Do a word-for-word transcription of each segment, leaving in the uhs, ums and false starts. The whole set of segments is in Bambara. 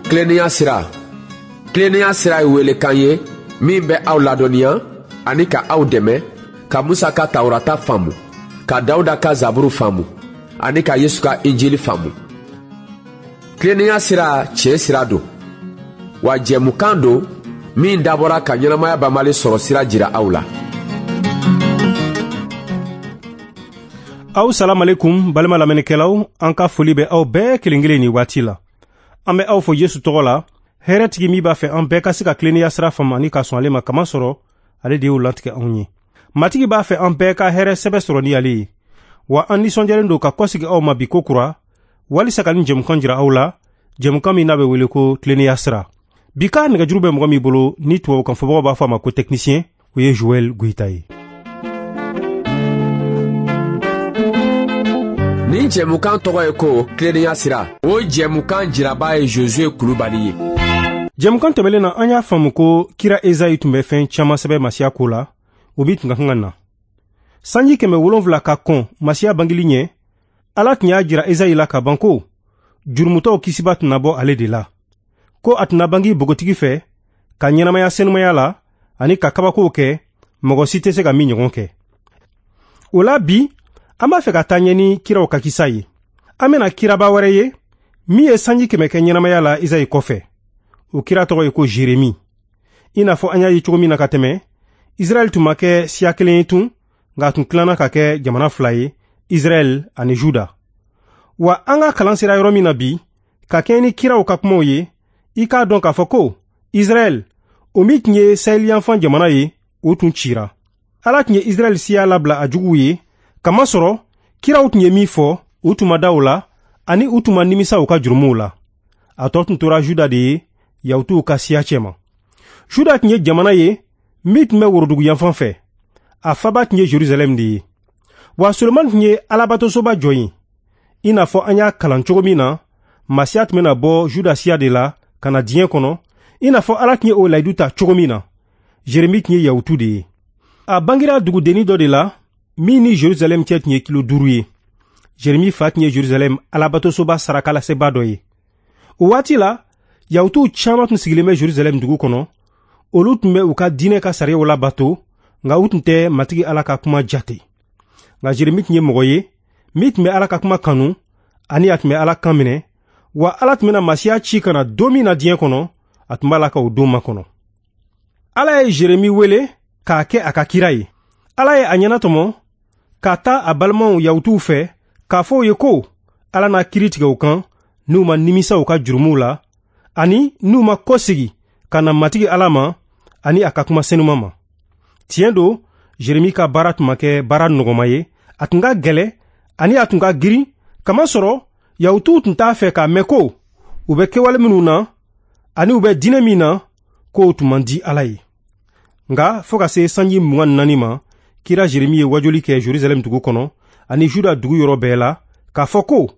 Tilennenya sira. Tilennenya sira ye welekan ye min bɛ aw ladɔnniya ani ka aw dɛmɛ ka Musa ka Tawurata faamu, ka Dawuda ka Zaburu faamu ani ka Yesu ka Injili faamu. Tilennenya sira tiɲɛ sira don, wa jɛmukan don min dabɔra ka ɲɛnamaya banbali sɔrɔ sira jira aw la. Aw salamalekum balima lamɛnnikɛlaw, an ka foli bɛ aw bɛɛ kelen kelen nin waati la. An bɛ aw fo Yesu tɔgɔ la, hɛrɛtigi min b'a fɛ an bɛɛ ka se ka tilennenya sira faamu ani ka sɔn ale ma, kamasɔrɔ ale de y'o latigɛ anw ye. Matigi b'a fɛ an bɛɛ ka hɛrɛ sɛbɛ sɔrɔ ni ale ye. Wa an nisɔndiyalen don ka kɔsigi aw ma bi ko kura, walisa ka nin jɛmukan jira aw la, jɛmukan min n'a bɛ wele ko tilennenya sira. Bi ka nɛgɛjuru bɛ mɔgɔ min bolo ni tubabukan fɔbagaw b'a fɔ a ma ko technicien, o ye Joël Goïta ye. Nin jɛmukan tɔgɔ ye ko tilennenya sira. O jɛmukan jiraba ye Josué Kulubali ye. Jɛmukan tɛmɛlen na, an y'a faamu ko kira Ezayi tun bɛ fɛn caman sɛbɛn Masiya ko la, o min tun ka kan ka na. Sanji kɛmɛ wolonfila ka kɔn Masiya bangeli ɲɛ, Ala tun y'a jira Ezayi la ka ban ko jurumutɔw kisiba tɛna bɔ ale de la, ko a tɛna bangi bogotigi fɛ ka ɲɛnamaya senumaya la ani ka kabakow kɛ mɔgɔ si tɛ se ka min ɲɔgɔn kɛ. O la bi, an b'a fɛ ka taa ɲɛ ni kiraw ka kisa ye. An bɛna kiraba wɛrɛ ye min ye sanji kɛmɛ kɛ ɲɛnamaya la Ezayi kɔfɛ. O kira tɔgɔ ye ko Jeremi. I n'a fɔ an y'a ye cogo min na ka tɛmɛ, Israɛl tun ma kɛ siya kelen ye tun, nka a tun tilanna ka kɛ jamana fila ye, Israɛl ani Juda. Wa an ka kalan sera yɔrɔ min na bi, ka kɛɲɛ ni kiraw ka kumaw ye, i k'a dɔn k'a fɔ ko Israɛl, o min tun ye saheliyanfan jamana ye, o tun cira. Ala tun ye Israɛl siya labila a juguw ye, kamasɔrɔ kiraw tun ye min fɔ, u tun ma da o la, ani u tun ma nimisa u ka jurumuw la. A tɔ tun tora Juda de ye, Yahutuw ka siya cɛma. Juda tun ye jamana ye min tun bɛ worodugu yanfan fɛ. A faba tun ye Jerusalɛm de ye. Wa Solomani tun ye alabatosoba jɔ yen. I n'a fɔ an y'a kalan cogo min na, Masiya tun bɛna bɔ Juda siya de la ka na diɲɛ kɔnɔ, i n'a fɔ Ala tun ye o layidu ta cogo min na. Jeremi tun ye Yahutu de ye. A bangera dugudennin dɔ de la min ni Jerusalɛm cɛ tun ye kilo duuru ye. Jeremi fa tun ye Jerusalɛm alabatosoba sarakalaseba dɔ ye. O waati la, Yahutuw caman tun sigilen bɛ Jerusalɛm dugu kɔnɔ. Olu tun bɛ u ka diinɛ ka sariyaw labato, nka u tun tɛ Matigi Ala ka kuma jate. Nka Jeremi tun ye mɔgɔ ye min tun bɛ Ala ka kuma kanu ani a tun bɛ Ala kan minɛ, wa Ala tun bɛna Masiya ci ka na don min na diɲɛ kɔnɔ, a tun b'a la ka o don makɔnɔ. Ala ye Jeremi wele k'a kɛ a ka kira ye. Ala ye a ɲɛnatɔmɔ ka taa a balimaw Yahutuw fɛ k'a fɔ u ye ko Ala n'a kiiri tigɛ u kan n'u ma nimisa u ka jurumuw la ani n'u ma kɔsegi ka na Matigi Ala ma ani a ka kuma senuma ma. Tiɲɛ don, Jeremi ka baara tun ma kɛ baara nɔgɔma ye, a tun ka gɛlɛ ani a tun ka girin, kamasɔrɔ Yahutuw tun t'a fɛ k'a mɛn ko u bɛ kɛwale minnu na ani u bɛ diinɛ min na, k'o tun man di Ala ye. Nka fo ka se sanji mugan ni naani ma, kira Jeremi ye wajuli kɛ Jerusalɛm dugu kɔnɔ ani Juda dugu yɔrɔ bɛɛ la k'a fɔ ko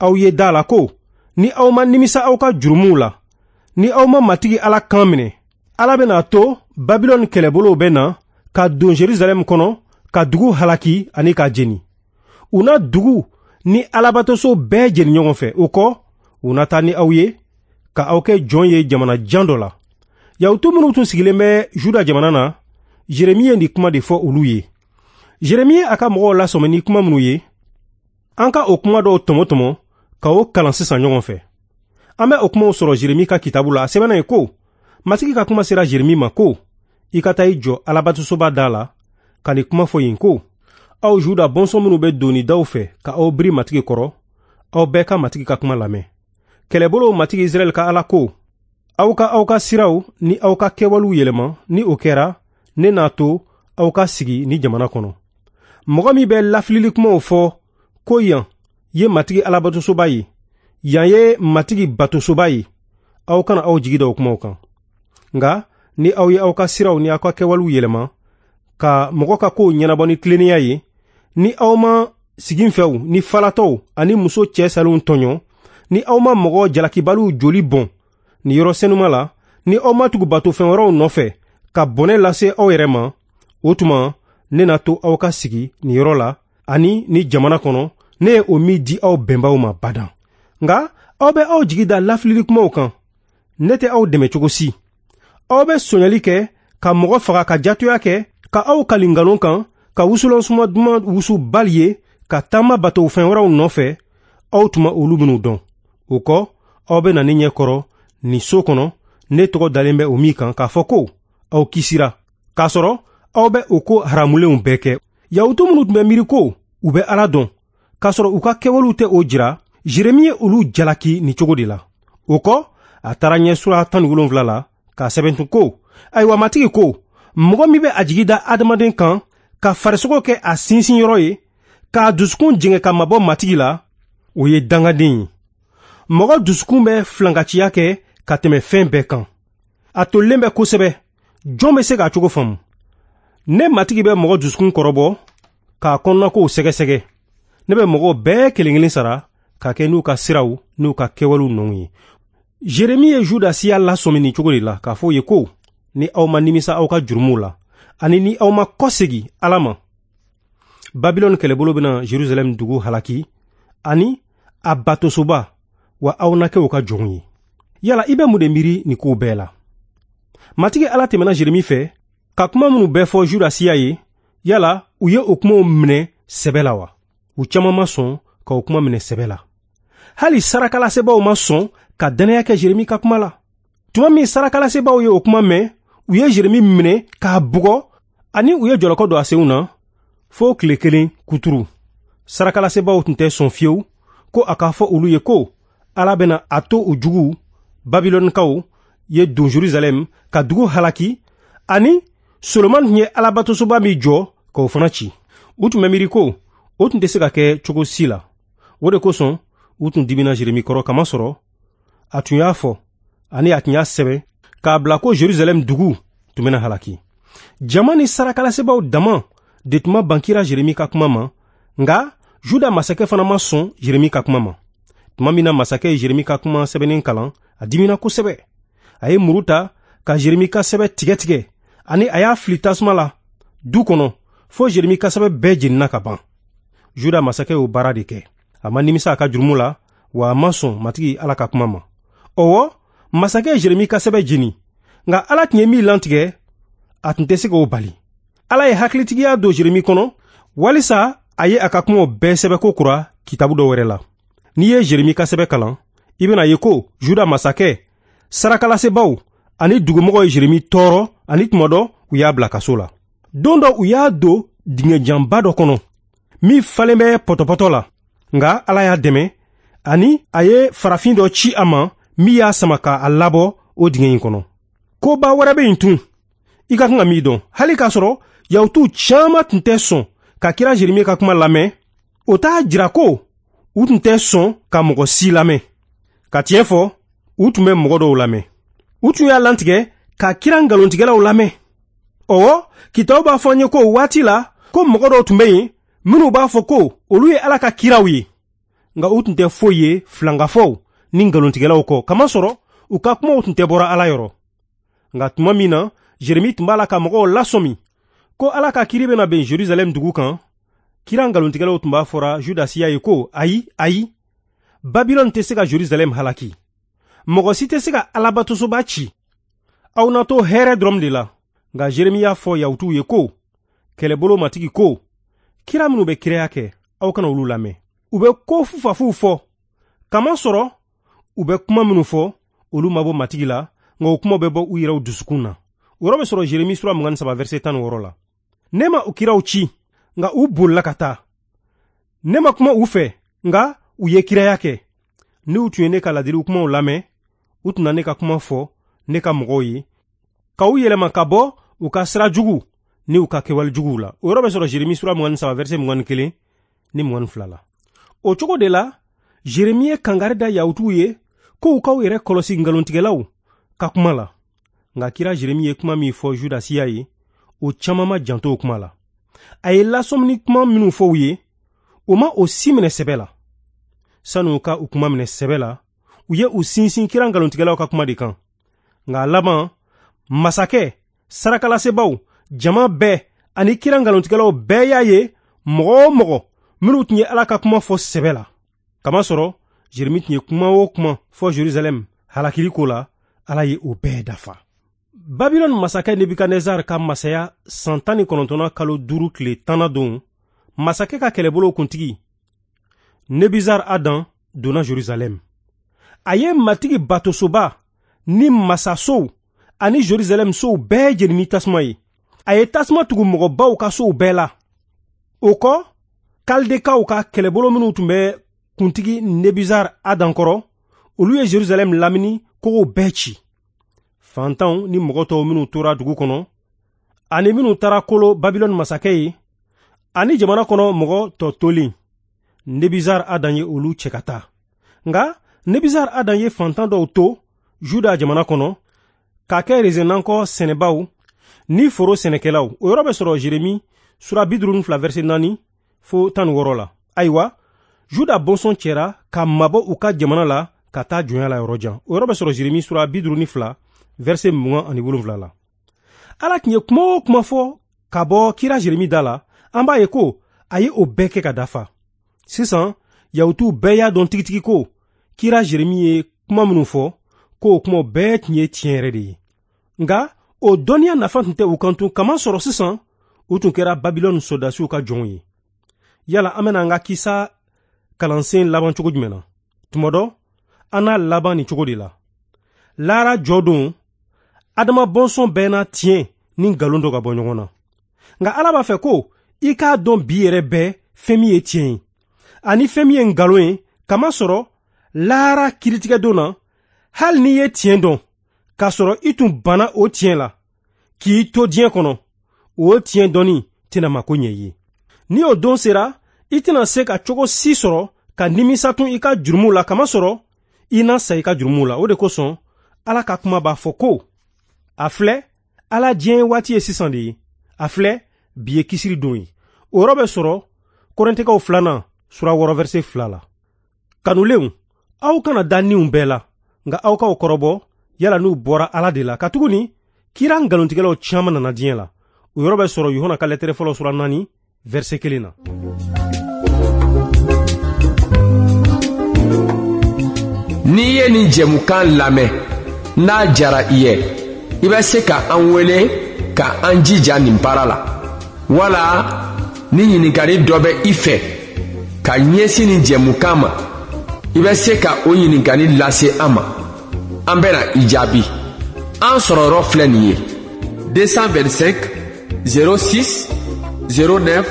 aw ye da la ko ni aw ma nimisa aw ka jurumuw la, ni aw ma Matigi Ala kan minɛ, Ala bɛna to Babilɔni kɛlɛbolow bɛ na ka don Jerusalɛm kɔnɔ ka dugu halaki ani k'a jeni. U na dugu ni alabatoso bɛɛ jeni ɲɔgɔn fɛ. O kɔ, u na taa ni aw ye ka aw kɛ jɔn ye jamana jan dɔ la. Yahutu minnu tun sigilen bɛ Juda jamana na, Jeremi ye nin kuma de fɔ olu ye. Jeremi ye a ka mɔgɔw lasɔmi ni kuma minnu ye, an ka o kuma dɔw tɔmɔ-tɔmɔ ka o kalan sisan ɲɔgɔn fɛ. An bɛ o kumaw sɔrɔ Jeremi ka kitabu la. A sɛbɛnna ye ko, Matigi ka kuma sera Jeremi ma ko, i ka taa i jɔ alabatosoba da la ka nin kuma fɔ yen ko, aw Juda bɔnsɔn minnu bɛ doni daw fɛ ka aw biri Matigi kɔrɔ, aw bɛɛ ka Matigi ka kuma lamɛn. Kɛlɛbolow Matigi Israɛl ka Ala ko, aw ka aw ka siraw ni aw ka kɛwalew yɛlɛma, ni o kɛra, ne n'a to aw ka sigi ni jamana kɔnɔ. Mɔgɔ min bɛ lafilili kumaw fɔ ko yan ye Matigi alabatosoba ye, yan ye Matigi batosoba ye, aw kana aw jigi da o kumaw kan. Nka ni aw ye aw ka siraw ni aw ka kɛwalew yɛlɛma ka mɔgɔ ka kow ɲɛnabɔ ni tilennenya ye, ni aw ma siginfɛw ni falatɔw ani muso cɛ salenw tɔɲɔ, ni aw ma mɔgɔ jalakibaliw joli bɔn ni yɔrɔ senuma la, ni aw ma tugu batofɛn wɛrɛw nɔfɛ ka bɔnɛ lase aw yɛrɛ ma, o tuma ne na to aw ka sigi nin yɔrɔ la ani ni jamana kɔnɔ, ne ye o min di aw bɛnbaw ma badan. Nka aw bɛ aw jigi da lafilili kumaw kan. ne tɛ aw dɛmɛ cogo si. Aw bɛ sonyali kɛ, ka mɔgɔ faga, ka jatoya kɛ, ka aw kali nkalon kan, ka wusulan suma duman wusu Bali ye, ka taama bato fɛn wɛrɛw nɔfɛ, aw tun ma olu minnu dɔn. O kɔ, aw bɛ na ne ɲɛ kɔrɔ nin so kɔnɔ, ne tɔgɔ dalen bɛ o min kan, k'a fɔ ko aw kisira, k'a sɔrɔ aw bɛ o ko haramulenw bɛɛ kɛ. Yahutu minnu tun bɛ miiri ko u bɛ Ala dɔn, k'a sɔrɔ u ka kɛwalew tɛ o jira, Jeremi ye olu jalaki nin cogo de la. O kɔ, a taara ɲɛ sura tan ni wolonwula la k'a sɛbɛn tun ko, ayiwa Matigi ko, mɔgɔ min bɛ a jigi da adamaden kan, ka farisogo kɛ a sinsinyɔrɔ ye, k'a dusukun jɛngɛ ka mabɔ Matigi la, o ye dangaden ye. Mɔgɔ dusukun bɛ filankanciya kɛ ka tɛmɛ fɛn bɛɛ kan. A tolilen bɛ kosɛbɛ, jɔn bɛ se k'a cogo faamu? Ne Matigi bɛ mɔgɔ dusukun kɔrɔbɔ, k'a kɔnɔnakow sɛgɛsɛgɛ. Ne bɛ mɔgɔw bɛɛ kelen kelen sara ka kɛ n'u ka siraw n'u ka kɛwalew nɔw ye. Jeremi ye Juda siya lasɔmi nin cogo de la, k'a fɔ u ye ko, ni aw ma nimisa aw ka jurumuw la, ani ni aw ma kɔsegi Ala ma, Babilɔni kɛlɛbolo bɛna Jerusalɛm dugu halaki ani a batosoba, wa aw na kɛ u ka jɔnw ye. Yala i bɛ mun de miiri nin kow bɛɛ la? Matigi Ala tɛmɛna Jeremi fɛ ka kuma minnu bɛɛ fɔ Juda siya ye, yala u ye o kumaw minɛ sɛbɛ la wa? U caman ma sɔn ka o kuma minɛ sɛbɛ la. Hali sarakalasebaaw ma sɔn ka dannaya kɛ Jeremi ka kuma la. Tuma min sarakalasebaaw ye o kuma mɛn, u ye Jeremi minɛ k'a bugɔ, ani u ye jɔlɔkɔ don a senw na fo tile kelen kuturu. Sarakalasebaaw tun tɛ sɔn fiyewu ko a k'a fɔ olu ye ko Ala bɛna a to u juguw Babilɔnikaw ye don Jerusalɛm ka dugu halaki, ani Solomani tun ye Alabatosoba min jɔ k'o fana ci. U tun bɛ miiri ko o tun tɛ se ka kɛ cogo si la. O de kosɔn u tun dimina Jeremi kɔrɔ, kamasɔrɔ a tun y'a fɔ ani a tun y'a sɛbɛn k'a bila ko Jerusalɛm dugu tun bɛna halaki. Jama ni sarakalasebaaw dama de tun ma ban kira Jeremi ka kuma ma, nka Juda masakɛ fana ma sɔn Jeremi ka kuma ma. Tuma min na masakɛ ye Jeremi ka kuma sɛbɛnnen kalan, a dimina kosɛbɛ. A ye muru ta ka Jeremi ka sɛbɛn tigɛ tigɛ, ani a y'a fili tasuma la du kɔnɔ fo Jeremi ka sɛbɛn bɛɛ jenina ka ban. Juda masakɛ y'o baara de kɛ. A ma nimisa a ka jurumu la, wa a ma sɔn Matigi Ala ka kuma ma. Ɔwɔ, masakɛ ye Jeremi ka sɛbɛn jeni, nka Ala tun ye min lantigɛ, a tun tɛ se k'o bali. Ala ye hakilitigiya don Jeremi kɔnɔ, walisa a ye a ka kumaw bɛɛ sɛbɛn ko kura kitabu dɔ wɛrɛ la. N'i ye Jeremi ka sɛbɛn kalan, i bɛna ye ko Juda masakɛ, sarakalasebaaw ani dugumɔgɔw ye Jeremi tɔɔrɔ, ani tuma dɔ u y'a bila kaso la. Don dɔ u y'a don dingɛjanba dɔ kɔnɔ min falen bɛ pɔtɔpɔtɔ la, nka Ala y'a dɛmɛ, ani a ye farafin dɔ ci a ma min y'a sama k'a labɔ o dingɛ in kɔnɔ. Koba wɛrɛ bɛ yen tun, i ka kan ka min dɔn. Hali k'a sɔrɔ Yahutuw caman tun tɛ sɔn ka kira Jeremi ka kuma lamɛn, o t'a jira ko u tun tɛ sɔn ka mɔgɔ si lamɛn. Ka tiɲɛ fɔ, u tun bɛ mɔgɔ dɔw lamɛn. U tun y'a lantigɛ ka kira nkalontigɛlaw lamɛn. Ɔwɔ, kitabu b'a fɔ an ye ko o waati la, ko mɔgɔ dɔw tun bɛ yen minnu b'a fɔ ko olu ye Ala ka kiraw ye, nka u tun tɛ foyi ye filankafɔw ni nkalontigɛlaw kɔ, kamasɔrɔ u ka kumaw tun tɛ bɔra Ala yɔrɔ. Nka tuma min na Jeremi tun b'a la ka mɔgɔw lasɔmi ko Ala ka kiri bɛna ben Jerusalɛm dugu kan, kira nkalontigɛlaw tun b'a fɔra Juda siya ye ko ayi, ayi, Babilɔni tɛ se ka Jerusalɛm halaki. Mɔgɔ si tɛ se ka Alabatosoba ci. Aw na to hɛrɛ dɔrɔn de la. Nka Jeremi y'a fɔ Yahutuw ye ko, kɛlɛbolo Matigi ko, kira minnu bɛ kiraya kɛ, aw kana olu lamɛn. U bɛ ko fufafuw fɔ, kamasɔrɔ u bɛ kuma minnu fɔ, olu ma bɔ Matigi la, nka o kumaw bɛ bɔ u yɛrɛw dusukun na. O yɔrɔ bɛ sɔrɔ Jeremi sura mugan ni saba verset tan ni wɔɔrɔ la. Ne ma u kiraw ci, nka u bolila ka taa. Ne ma kuma u fɛ, nka u ye kiraya kɛ. N'u tun ye ne ka ladiliw kumaw lamɛn, u tun na ne ka kuma fɔ ne ka mɔgɔw ye, ka u yɛlɛma ka bɔ u ka sira jugu ni u ka kɛwale juguw la. O yɔrɔ bɛ sɔrɔ Jeremi sura mugan ni saba verset mugan ni kelen ni mugan ni fila la. O cogo de la, Jeremi ye kangari da Yahutuw ye ko u k'aw yɛrɛ kɔlɔsi nkalontigɛlaw ka kuma la. Nka kira Jeremi ye kuma min fɔ Juda siya ye, o caman ma janto o kuma la. A ye lasɔmini kuma minnu fɔ u ye, o ma o si minɛ sɛbɛ la. Sani u ka u kuma minɛ sɛbɛ la, u ye u sinsin kira nkalontigɛlaw ka kuma de kan. Nka a laban, masakɛ, sarakalasebaaw, jama bɛɛ ani kira nkalontigɛlaw bɛɛ y'a ye mɔgɔ o mɔgɔ minnu tun ye Ala ka kuma fɔ sɛbɛ la. Kamasɔrɔ Jeremi tun ye kuma o kuma fɔ Jerusalɛm halakili ko la, Ala ye o bɛɛ dafa. Babilɔni masakɛ Nebukadnezar ka masaya san tan ni kɔnɔntɔnna kalo duuru tile tanna don, masakɛ ka kɛlɛbolo kuntigi Nebuzar Adan donna Jerusalɛm. A ye Matigi batosoba ni masasow ani Jerusalɛm sow bɛɛ jeni ni tasuma ye. A ye tasuma tugu mɔgɔbaw ka sow bɛɛ la. O kɔ, Kaldekaw ka kɛlɛbolo minnu tun bɛ kuntigi Nebuzar Adan kɔrɔ, olu ye Jerusalɛm lamini kogow bɛɛ ci. Fantanw ni mɔgɔ tɔw minnu tora dugu kɔnɔ, ani minnu taara kolo Babilɔni masakɛ ye, ani jamana kɔnɔ mɔgɔ tɔ tolen, Nebuzar Adan ye olu cɛ ka taa. Nka Nebuzar Adan ye fantan dɔw to Juda jamana kɔnɔ k'a kɛ rezenankɔ sɛnɛbaw ni foro sɛnɛkɛlaw. O yɔrɔ bɛ sɔrɔ Jeremi sura bi duuru ni fila verset naani fo tan ni wɔɔrɔ la. Ayiwa, Juda bɔnsɔn cɛra ka mabɔ u ka jamana la ka taa jɔnya la yɔrɔ jan. O yɔrɔ bɛ sɔrɔ Jeremi sura bi duuru ni fila verset mugan ani wolonwula la. Ala tun ye kuma o kuma fɔ ka bɔ kira Jeremi da la, an b'a ye ko a ye o bɛɛ kɛ ka dafa. Sisan, Yahutuw bɛɛ y'a dɔn tigitigi ko kira Jeremi ye kuma minnu fɔ, k'o kumaw bɛɛ tun ye tiɲɛ yɛrɛ de ye. Nka o dɔnniya nafa tun tɛ u kan tun, kamasɔrɔ sisan u tun kɛra Babilɔni sɔrɔdasiw ka jɔnw ye. Yala an bɛna an ka kisa kalansen laban cogo jumɛn na? Tuma dɔ, an n'a laban nin cogo de la. Lahara jɔ don, Adama bɔnsɔn bɛɛ na tiɲɛ ni nkalon dɔ ka bɔ ɲɔgɔn na. Nka Ala b'a fɛ ko i k'a dɔn bi yɛrɛ bɛɛ fɛn min ye tiɲɛ ye ani fɛn min ye nkalon ye, kamasɔrɔ lahara kiritigɛ don na, hali n'i ye tiɲɛ dɔn k'a sɔrɔ i tun banna o tiɲɛ la k'i to diɲɛ kɔnɔ, o tiɲɛ dɔnni tɛna mako ɲɛ i ye. Ni o don sera, i tɛna se ka cogo si sɔrɔ ka nimisa tun i ka jurumu la, kamasɔrɔ i na sa i ka jurumu la. O de kosɔn Ala ka kuma b'a fɔ ko a filɛ, Ala diɲɛ waati ye sisan de ye, a filɛ, bi ye kisiri don ye. O yɔrɔ bɛ sɔrɔ Kɔrɛntɛkaw filanan sura wɔɔrɔ verset fila la. Kanulenw, aw kana da niw bɛɛ la, nka aw k'aw kɔrɔbɔ yala n'u bɔra Ala de la, katuguni kira nkalontigɛlaw caman nana diɲɛ la. O yɔrɔ bɛ sɔrɔ Yohana ka lɛtɛrɛ fɔlɔ sura naani verset kelen na. N'i ye nin jɛmukan lamɛn, n'a diyara i ye, i bɛ se ka an wele ka an jija nin baara la. Wala ni ɲininkali dɔ bɛ i fɛ ka ɲɛsin nin jɛmukan ma, i bɛ se ka o ɲininkali lase an ma. An bɛna i jaabi. An sɔrɔyɔrɔ filɛ nin ye: deux cent vingt-cinq zéro six zéro neuf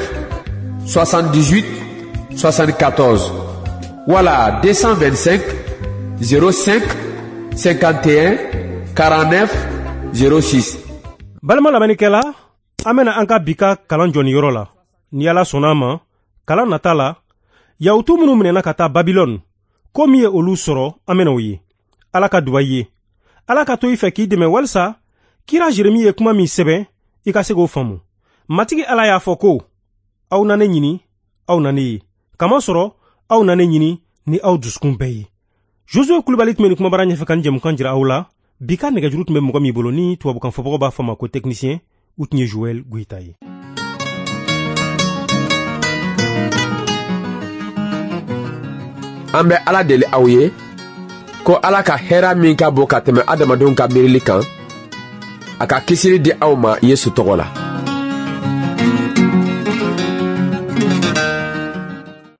soixante-dix-huit soixante-quatorze wala deux cent vingt-cinq zéro cinq cinquante et un quarante-neuf zéro six. Balima lamɛnnikɛla, an bɛna an ka bi ka kalan jɔ nin yɔrɔ la. Ni Ala sɔnna a ma, kalan nata la, Yahutu minnu minɛna ka taa Babilɔni, ko min ye olu sɔrɔ, an bɛna o ye. Ala ka duba i ye. Ala ka to i fɛ k'i dɛmɛ walisa kira Jeremi ye kuma min sɛbɛn, i ka se k'o faamu. Matigi Ala y'a fɔ ko aw na ne ɲini, aw na ne ye, kamasɔrɔ aw na ne ɲini ni aw dusukun bɛɛ ye. Josué Kulibali tun bɛ nin kumabara ɲɛfɛ ka nin jɛmukan jira aw la. Bi ka nɛgɛjuru tun bɛ mɔgɔ min bolo ni tubabukan fɔbagaw b'a fɔ ma ko technicien, u tun ye Joël Goïta ye. An bɛ Ala deli aw ye ko Ala ka hɛrɛ min ka bon ka tɛmɛ adamadenw ka miirili kan, a ka kisili di aw ma Yesu tɔgɔ la.